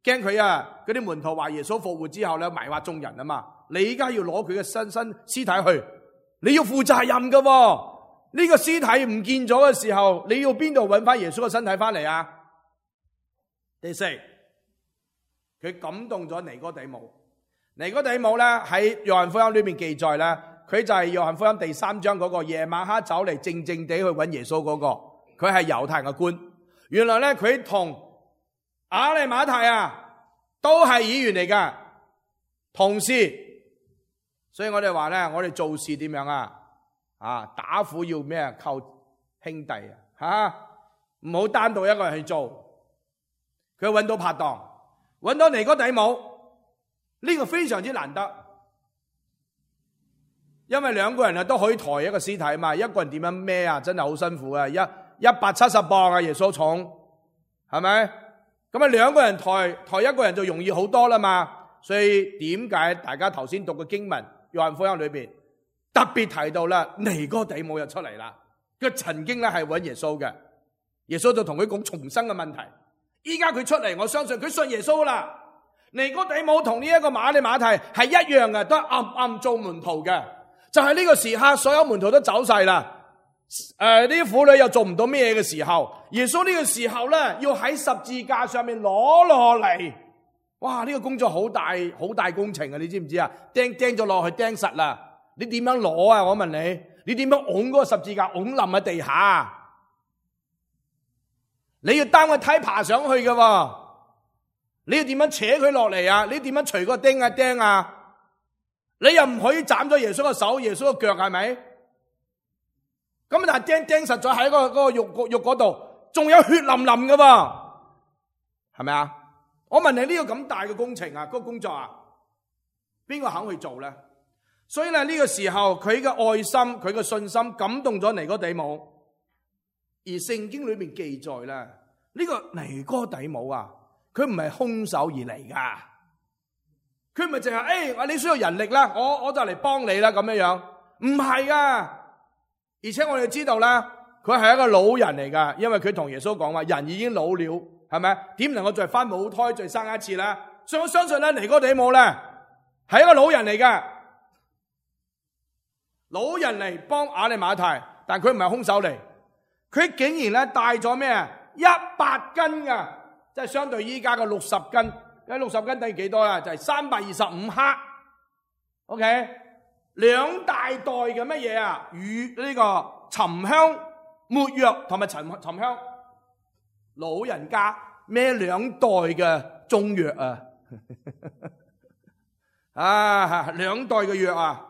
驚佢啊嗰啲門徒話耶穌復活之後咧迷惑眾人啊嘛。你依家要攞佢嘅身身屍體去，你要負責任噶。呢個屍體唔見咗嘅時候，你要邊度揾翻耶穌嘅身體翻嚟啊？第四，佢佢感動咗尼哥底母。尼哥底母咧喺約翰福音裏面記載咧，佢就係約翰福音第三章嗰個夜晚黑走嚟靜靜地去揾耶穌嗰個，佢係猶太人嘅官。原來咧佢同亞利馬太啊都係議員嚟噶，同事。所以我哋話咧，我哋做事點樣啊？啊，打虎要咩啊？靠兄弟啊，吓唔好單獨一個人去做。佢揾到拍檔，揾到尼哥底母，呢個非常之難得，因為兩個人啊都可以抬一個屍體嘛，一個人點樣孭啊？真係好辛苦啊！一一百七十磅啊，耶穌重，係咪？咁啊，兩個人抬抬一個人就容易好多啦嘛。所以點解大家頭先讀嘅經文？約翰福音裏邊特別提到啦，尼哥底母又出嚟啦。佢曾經咧係揾耶穌嘅，耶穌就同佢講重生嘅問題。依家佢出嚟，我相信佢信耶穌啦。尼哥底母同呢一個亞利馬太係一樣嘅，都暗暗做門徒嘅。就係呢個時刻，所有門徒都走晒啦。誒、呃，呢啲婦女又做唔到咩嘅時候，耶穌呢個時候咧要喺十字架上面攞落嚟。哇！呢個工作好大好大工程啊！你知唔知啊？釘釘咗落去釘實啦！你點樣攞啊？我問你，你點樣拱嗰個十字架拱冧喺地下？你要擔個梯爬上去嘅，你要點樣扯佢落嚟啊？你點樣除個釘啊釘啊？你又唔可以斬咗耶穌個手、耶穌個腳，係咪？咁但係釘釘實咗喺個嗰個肉肉嗰度，仲有血淋淋嘅喎，係咪啊？我問你，呢個咁大嘅工程啊，嗰個工作啊，邊個肯去做咧？所以咧呢個時候佢嘅愛心、佢嘅信心感動咗尼哥底母，而聖經裏面記載咧，呢個尼哥底母啊，佢唔係空手而嚟噶，佢唔係淨係誒，你需要人力啦，我我就嚟幫你啦咁樣樣，唔係啊！而且我哋知道咧，佢係一個老人嚟噶，因為佢同耶穌講話，人已經老了。係咪？點能夠再翻母胎再生一次咧？所以我相信咧，尼哥底母咧係一個老人嚟嘅，老人嚟幫亞利馬太，但佢唔係空手嚟，佢竟然咧帶咗咩啊？一百斤噶，即係相對依家嘅六十斤，咁六十斤等於幾多啊？就係三百二十五克。OK， 兩大袋嘅乜嘢啊？與呢個沉香、沒藥同埋沉沉香。老人家孭兩袋嘅中藥啊，啊兩袋嘅藥啊，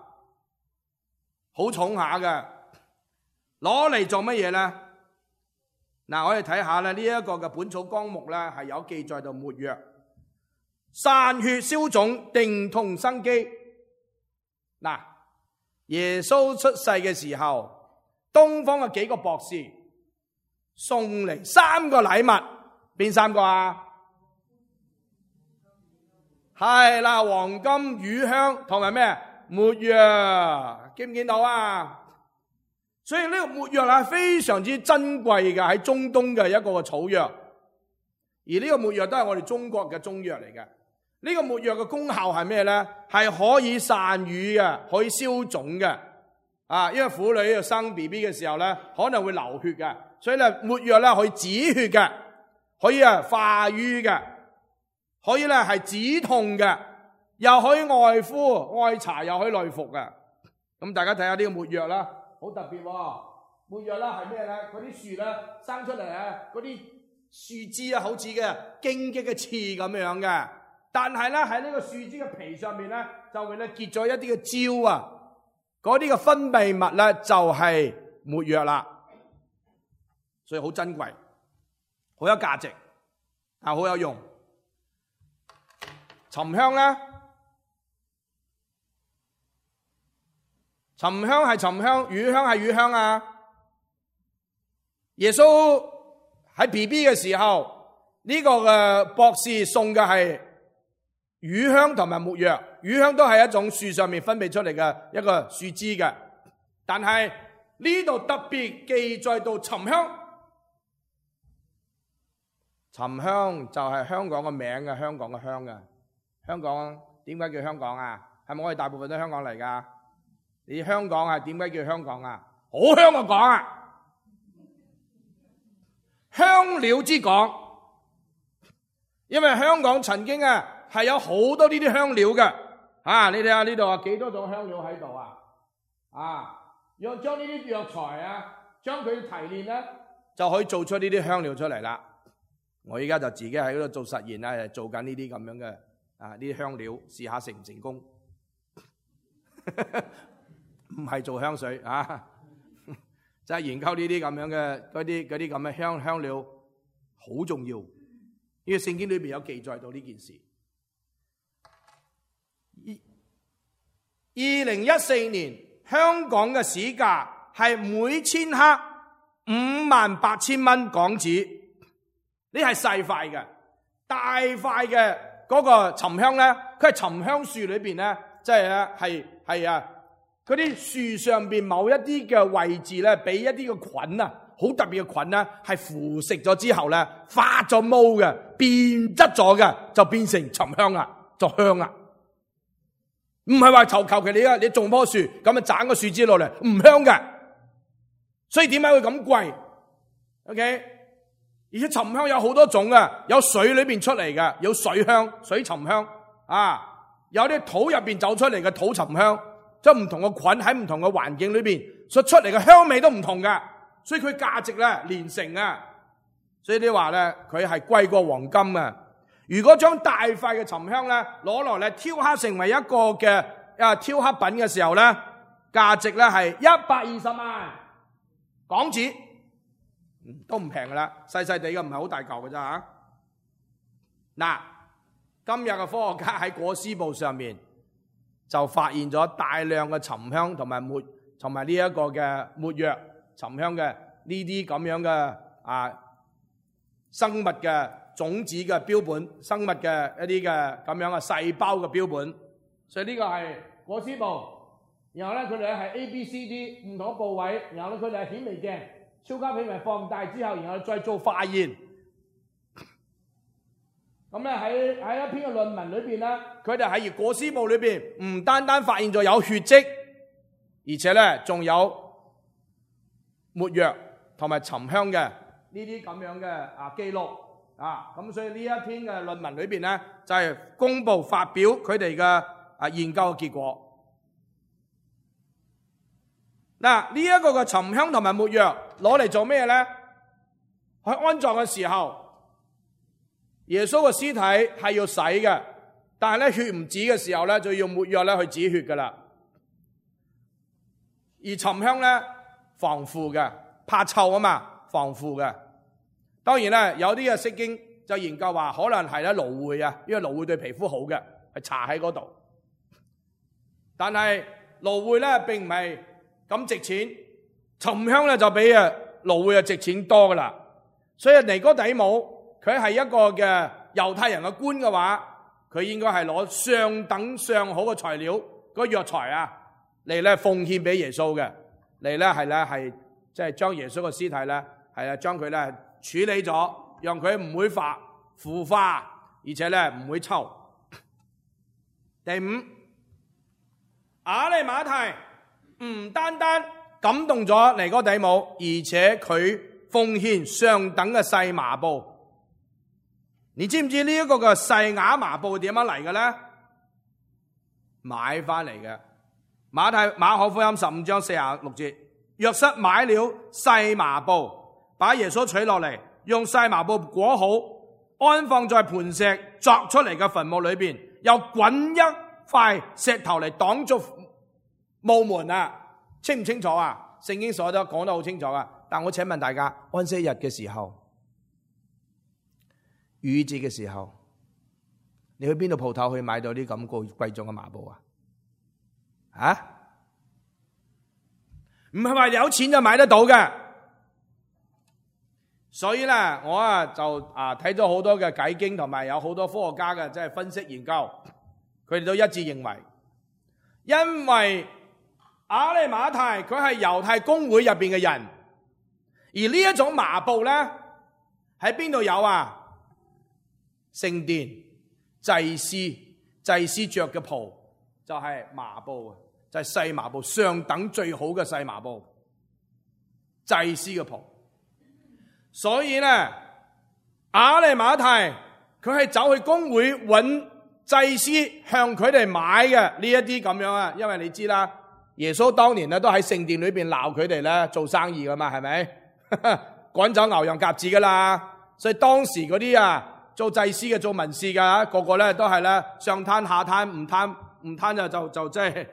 好重下嘅，攞嚟做乜嘢咧？嗱，我哋睇下咧，呢一個嘅本草綱目咧係有記載到沒藥、散血消腫、定痛生肌。嗱，耶穌出世嘅時候，東方嘅幾個博士送嚟三個禮物，邊三個啊？係啦，黃金、乳香同埋咩？沒藥，見唔見到啊？所以呢個沒藥係非常之珍貴嘅，喺中東嘅一個草藥，而呢個沒藥都係我哋中國嘅中藥嚟嘅。呢個沒藥嘅功效係咩咧？係可以散瘀嘅，可以消腫嘅。啊，因為婦女要生 B B 嘅時候咧，可能會流血嘅。所以咧，沒藥咧可以止血嘅，可以啊化瘀嘅，可以咧係止痛嘅，又可以外敷外搽，又可以內服嘅。咁大家睇下呢個沒藥啦，好特別喎！沒藥啦係咩咧？嗰啲樹咧生出嚟啊，嗰啲樹枝啊，好似嘅荊棘嘅刺咁樣嘅。但係咧喺呢個樹枝嘅皮上面咧，就會咧結咗一啲嘅焦啊，嗰啲嘅分泌物咧就係沒藥啦。所以好珍貴，好有價值，啊好有用。沉香咧，沉香係沉香，乳香係乳香啊。耶穌喺 B B 嘅時候，呢、這個嘅博士送嘅係乳香同埋沒藥。乳香都係一種樹上面分泌出嚟嘅一個樹枝嘅，但係呢度特別記載到沉香。沉香就係香港嘅名嘅，香港嘅香嘅。香港點解叫香港啊？係咪我哋大部分都香港嚟噶？你香港係點解叫香港啊？好香嘅港啊，香料之港。因為香港曾經啊係有好多呢啲香料嘅。啊，你睇下呢度啊，幾多種香料喺度啊？啊，要將呢啲藥材啊，將佢提煉咧，就可以做出呢啲香料出嚟啦。我而家就自己喺嗰度做實驗啦，做緊呢啲咁樣嘅啊呢啲香料，試下成唔成功？唔係做香水啊，就係研究呢啲咁樣嘅嗰啲嗰啲咁嘅香香料，好重要。呢個聖經裏邊有記載到呢件事。二零一四年香港嘅市價係每千克五萬八千蚊港紙，呢係細塊嘅，大塊嘅嗰個沉香咧，佢係沉香樹裏邊咧，即係咧係係啊嗰啲樹上邊某一啲嘅位置咧，俾一啲嘅菌啊，好特別嘅菌咧，係腐蝕咗之後咧，發咗毛嘅，變質咗嘅，就變成沉香啦，就香啦。唔係話求求其你啊，你種棵樹咁啊，斬個樹枝落嚟唔香嘅，所以點解會咁貴 ？OK， 而且沉香有好多種嘅，有水裏邊出嚟嘅，有水香、水沉香啊，有啲土入邊走出嚟嘅土沉香，即係唔同嘅菌喺唔同嘅環境裏邊所出嚟嘅香味都唔同嘅，所以佢價值咧連城啊，所以你話咧佢係貴過黃金啊。如果將大塊嘅沉香咧攞落嚟雕刻成為一個嘅啊雕刻品嘅時候咧，價值咧係一百二十萬港紙，都唔平噶啦，細細地嘅唔係好大嚿嘅啫吓。嗱，今日嘅科學家喺裹屍布上面就發現咗大量嘅沉香同埋沒同埋呢一個嘅沒藥沉香嘅呢啲咁樣嘅啊生物嘅種子嘅標本，生物嘅一啲嘅咁樣嘅細胞嘅標本，所以呢個係裹屍布。然後咧佢哋係 A、B、C、D 唔同嘅部位，然後咧佢哋係顯微鏡、超級顯微放大之後，然後再做化驗。咁咧喺喺一篇嘅論文裏邊咧，佢哋喺裹屍布裏邊唔單單發現咗有血跡，而且咧仲有沒藥同埋沉香嘅呢啲咁樣嘅啊記錄。啊，咁所以呢一篇嘅論文裏邊咧，就係、是、公布發表佢哋嘅啊研究嘅結果。嗱，呢一個嘅沉香同埋沒藥攞嚟做咩咧？去安葬嘅時候，耶穌嘅屍體係要洗嘅，但係咧血唔止嘅時候咧，就要用沒藥咧去止血噶啦。而沉香咧防腐嘅，怕臭啊嘛，防腐嘅。當然咧，有啲嘅釋經就研究話，可能係咧蘆薈啊，因為蘆薈對皮膚好嘅，係搽喺嗰度。但係蘆薈咧並唔係咁值錢，沉香咧就比啊蘆薈啊值錢多噶啦。所以尼哥底母佢係一個嘅猶太人嘅官嘅話，佢應該係攞上等上好嘅材料嗰藥材啊嚟咧奉獻俾耶穌嘅，嚟咧係咧係即係將耶穌嘅屍體咧係啊將佢咧處理咗，讓佢唔會發腐化，而且咧唔會臭。第五，亞利馬太唔單單感動咗尼哥底母，而且佢奉獻上等嘅細麻布。你知唔知呢一個嘅細亞麻布點樣嚟嘅咧？買翻嚟嘅。馬太馬可福音十五章四十六節，約瑟買了細麻布，把耶穌取落嚟，用細麻布裹好，安放在磐石鑿出嚟嘅墳墓裏邊，又滾一塊石頭嚟擋住墓門啊！清唔清楚啊？聖經所得講得好清楚啊！但我請問大家，安息日嘅時候、逾節嘅時候，你去邊度鋪頭去買到啲咁貴貴重嘅麻布啊？啊？唔係話有錢就買得到嘅。所以咧，我啊就啊睇咗好多嘅解經，同埋有好多科學家嘅即係分析研究，佢哋都一致認為，因為亞利馬太佢係猶太公會入邊嘅人，而呢一種麻布咧喺邊度有啊？聖殿祭司祭司着嘅袍就係麻布，就係細麻布，上等最好嘅細麻布，祭司嘅袍。所以咧，亞利馬太佢係走去公會揾祭司向佢哋買嘅呢一啲咁樣啊，因為你知啦，耶穌當年咧都喺聖殿裏邊鬧佢哋咧做生意噶嘛，係咪？趕走牛羊鴿子噶啦，所以當時嗰啲啊做祭司嘅、做文士嘅，個個咧都係咧上攤下攤，唔攤唔攤就就就即係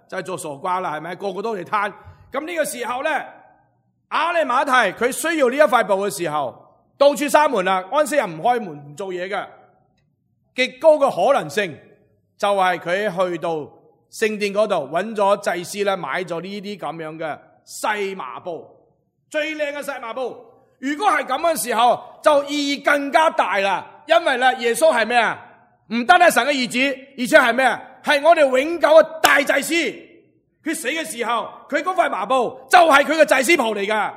就係做傻瓜啦，係咪？個個都嚟攤。咁呢個時候咧，亞利馬太佢需要呢一塊布嘅時候，到處閂門啦，安息日唔開門唔做嘢嘅，極高嘅可能性就係佢去到聖殿嗰度揾咗祭司咧，買咗呢啲咁樣嘅細麻布。最靚嘅細麻布，如果係咁嘅時候，就意義更加大啦。因為咧，耶穌係咩啊？唔單係神嘅兒子，而且係咩啊？係我哋永久嘅大祭司。佢死嘅時候，佢嗰塊麻布就係佢嘅祭司袍嚟噶。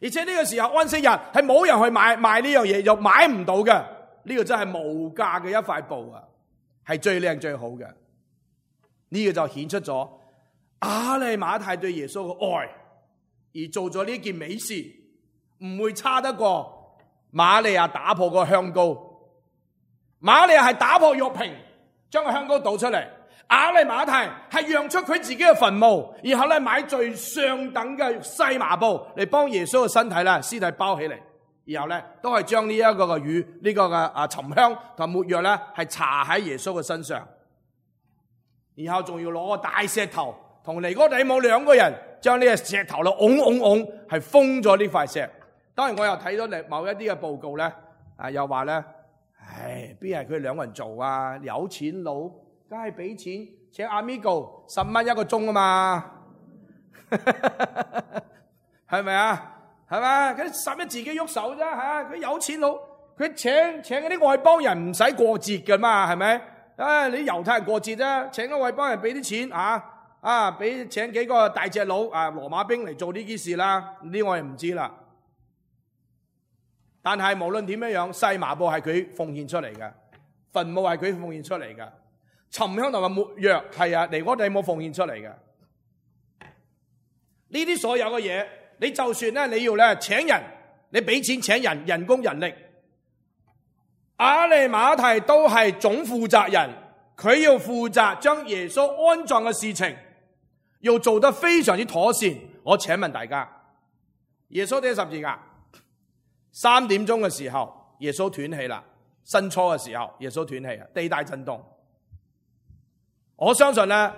而且呢個時候安息日係冇人去買買呢樣嘢，又買唔到嘅。呢個真係無價嘅一塊布啊，係最靚最好嘅。呢個就顯出咗亞利馬太對耶穌嘅愛。而做咗呢件美事，唔會差得過瑪利亞打破個香膏。瑪利亞係打破玉瓶，將個香膏倒出嚟。亞利馬太係讓出佢自己嘅墳墓，然後咧買最上等嘅細麻布嚟幫耶穌嘅身體咧屍體包起嚟，然後咧都係將呢一個嘅乳呢個嘅啊沉香同沒藥咧係搽喺耶穌嘅身上，然後仲要攞個大石頭同尼哥底母兩個人。將呢個石頭咧，拱拱拱，係封咗呢塊石。當然我又睇到某一啲嘅報告咧，啊又話咧，唉，邊係佢兩個人做啊？有錢佬，梗係俾錢請阿 Migo 十蚊一個鐘啊嘛，係咪啊？係咪？佢使乜自己喐手啫吓？佢有錢佬，佢請請嗰啲外邦人唔使過節噶嘛，係咪？啊，你猶太人過節啫，請個外邦人俾啲錢啊！啊！俾請幾個大隻佬啊，羅馬兵嚟做呢件事啦，呢我哋唔知啦。但係無論點樣樣，細麻布係佢奉獻出嚟嘅，墳墓係佢奉獻出嚟嘅，沉香同埋沒藥係啊，尼哥底母奉獻出嚟嘅。呢啲所有嘅嘢，你就算咧你要咧請人，你俾錢請人，人工人力，亞利馬太都係總負責人，佢要負責將耶穌安葬嘅事情。要做得非常之妥善，我請問大家，耶穌釘十字架，三點鐘嘅時候，耶穌斷氣啦。申初嘅時候，耶穌斷氣啊，地大震動。我相信咧，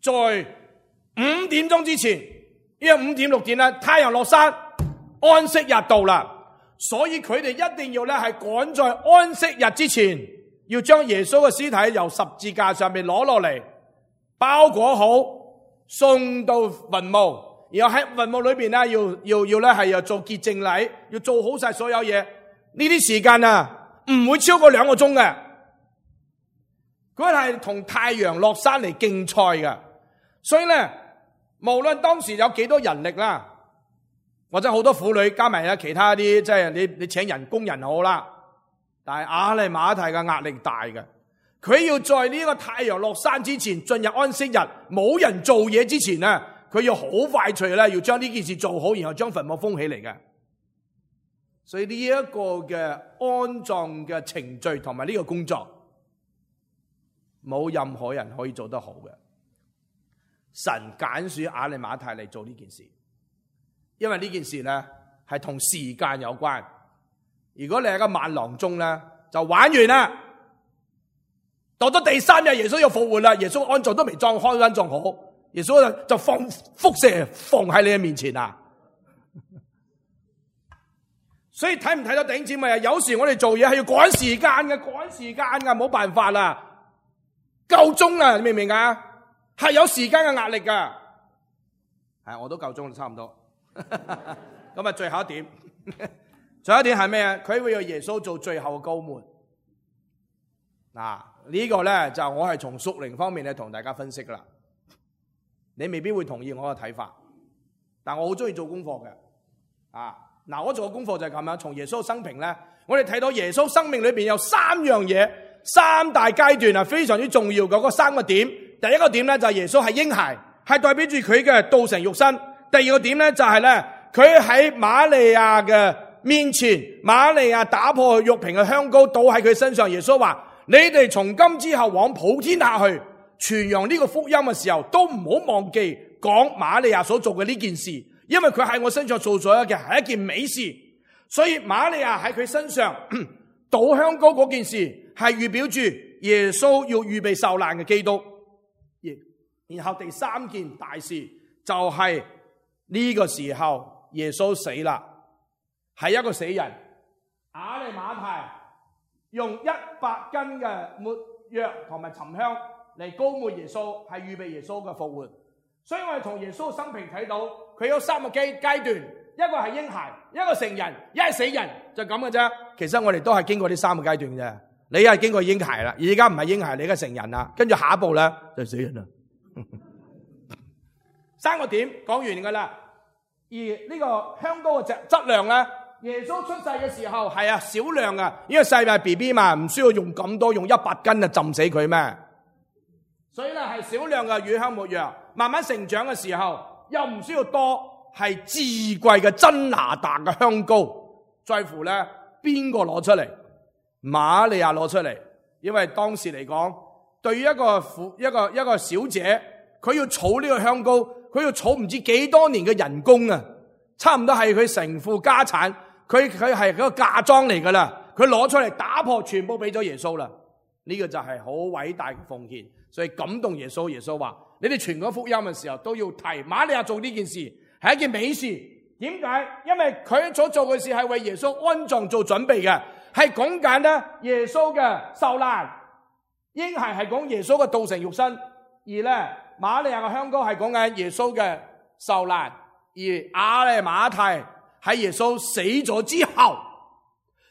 在五點鐘之前，因為五點六點咧，太陽落山，安息日到啦，所以佢哋一定要咧係趕在安息日之前，要將耶穌嘅屍體由十字架上面攞落嚟，包裹好。送到墳墓，然後喺墳墓裏邊咧，要要要咧係要做潔淨禮，要做好晒所有嘢。呢啲時間啊，唔會超過兩個鐘嘅。佢係同太陽落山嚟競賽嘅，所以咧，無論當時有幾多人力啦，或者好多婦女加埋啊其他啲，即係你你請人工人好啦，但係亞利馬太嘅壓力大嘅。佢要在呢個太陽落山之前進入安息日，冇人做嘢之前咧，佢要好快脆咧，要將呢件事做好，然後將墳墓封起嚟嘅。所以呢一個嘅安葬嘅程序同埋呢個工作，冇任何人可以做得好嘅。神揀選亞利馬太嚟做呢件事，因為呢件事咧係同時間有關。如果你係個萬郎中咧，就玩完啦。到咗第三日，耶穌又復活啦。耶穌安葬都未裝開安葬好，耶穌就放輻射放喺你嘅面前啊！所以睇唔睇到弟兄姊妹啊？有時我哋做嘢係要趕時間嘅，趕時間嘅，冇辦法啦。夠鐘啦，你明唔明啊？係有時間嘅壓力噶。係，我都夠鐘啦，差唔多。咁啊，最後一點，最後一點係咩啊？佢會要耶穌做最後嘅膏抹。嗱。呢個咧就我係從屬靈方面咧同大家分析噶啦，你未必會同意我嘅睇法，但我好中意做功課嘅。啊，嗱，我做嘅功課就係咁樣，從耶穌生平咧，我哋睇到耶穌生命裏邊有三樣嘢，三大階段啊，非常之重要嘅嗰三個點。第一個點咧就係耶穌係嬰孩，係代表住佢嘅道成肉身。第二個點咧就係咧佢喺瑪利亞嘅面前，瑪利亞打破玉瓶嘅香膏倒喺佢身上。耶穌話：你哋從今之後往普天下去，傳揚呢個福音嘅時候，都唔好忘記講瑪利亞所做嘅呢件事，因為佢喺我身上做咗嘅係一件美事。所以瑪利亞喺佢身上倒香膏嗰件事，係預表住耶穌要預備受難嘅基督。然後第三件大事就係呢個時候耶穌死啦，係一個死人。亞利馬太用一百斤嘅沒藥同埋沉香嚟膏抹耶穌，係預備耶穌嘅復活。所以我哋從耶穌嘅生平睇到，佢有三個階階段，一個係嬰孩，一個成人，一係死人，就咁嘅啫。其實我哋都係經過呢三個階段嘅。你係經過嬰孩啦，而家唔係嬰孩，你而家成人啦，跟住下一步咧就死人啦。三個點講完噶啦。而呢個香膏嘅質質量咧，耶穌出世嘅時候係啊少量啊，因為細嘅 B B 嘛，唔需要用咁多，用一百斤啊浸死佢咩？所以咧係少量嘅乳香沒藥，慢慢成長嘅時候又唔需要多，係至貴嘅真哪噠嘅香膏，在乎咧邊個攞出嚟？瑪利亞攞出嚟，因為當時嚟講，對於一個婦一個一個小姐，佢要儲呢個香膏，佢要儲唔知幾多年嘅人工啊，差唔多係佢成副家產，佢佢係嗰個嫁妝嚟噶啦，佢攞出嚟打破，全部俾咗耶穌啦。呢、這個就係好偉大嘅奉獻，所以感動耶穌。耶穌話：你哋傳講福音嘅時候都要提瑪利亞做呢件事，係一件美事。點解？因為佢所做嘅事係為耶穌安葬做準備嘅。係講緊咧耶穌嘅受難，嬰孩係講耶穌嘅道成肉身，而咧瑪利亞嘅香膏係講緊耶穌嘅受難，而亞利馬太喺耶穌死咗之後，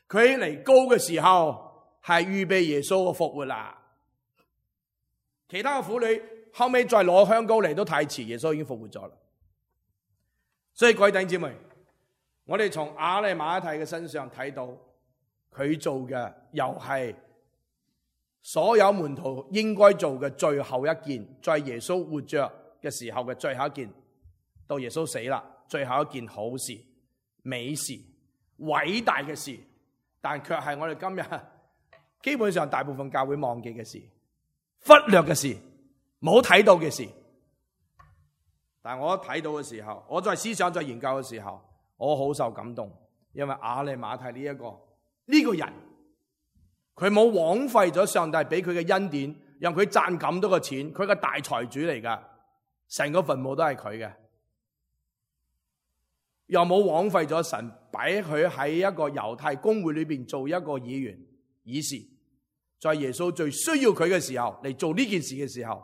佢嚟膏嘅時候係預備耶穌嘅復活啦。其他嘅婦女後尾再攞香膏嚟都太遲，耶穌已經復活咗啦。所以各位弟兄姊妹，我哋從亞利馬太嘅身上睇到。佢做嘅又係所有門徒應該做嘅最後一件，在耶穌活着嘅時候嘅最後一件，到耶穌死啦，最後一件好事、美事、偉大嘅事，但卻係我哋今日基本上大部分教會忘記嘅事、忽略嘅事、冇睇到嘅事。但我睇到嘅時候，我在思想、在研究嘅時候，我好受感動，因為亞利馬太呢一個。呢、這個人佢冇枉費咗上帝俾佢嘅恩典，讓佢賺咁多嘅錢，佢個大財主嚟噶，成個墳墓都係佢嘅，又冇枉費咗神擺佢喺一個猶太公會裏邊做一個議員議事，在耶穌最需要佢嘅時候嚟做呢件事嘅時候，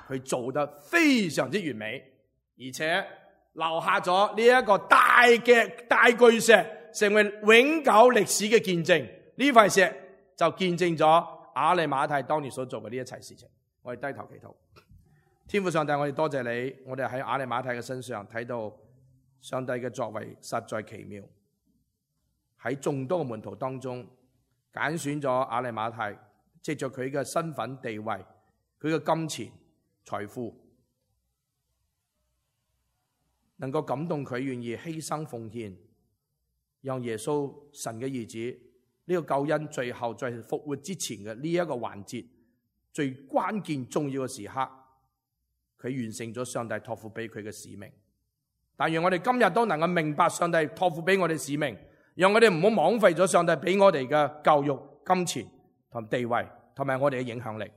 佢做得非常之完美，而且留下咗呢一個大嘅大巨石，成為永久歷史嘅見證。呢塊石就見證咗亞利馬太當年所做嘅呢一切事情。我哋低頭祈禱。天父上帝，我哋多謝你，我哋喺亞利馬太嘅身上睇到上帝嘅作為實在奇妙。喺眾多嘅門徒當中揀選咗亞利馬太，藉着佢嘅身份地位，佢嘅金錢財富，能夠感動佢願意犧牲奉獻，讓耶穌神嘅兒子呢個救恩最後在復活之前嘅呢一個環節，最關鍵重要嘅時刻，佢完成咗上帝託付俾佢嘅使命。但願我哋今日都能夠明白上帝託付俾我哋使命，讓我哋唔好枉費咗上帝俾我哋嘅教育、金錢同地位，同埋我哋嘅影響力，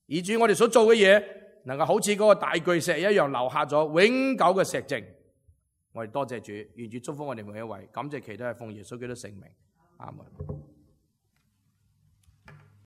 以至我哋所做嘅嘢能夠好似嗰個大巨石一樣留下咗永久嘅石證。我哋多謝主，願主祝福我哋每一位，感謝祈禱係奉耶穌基督聖名，阿門。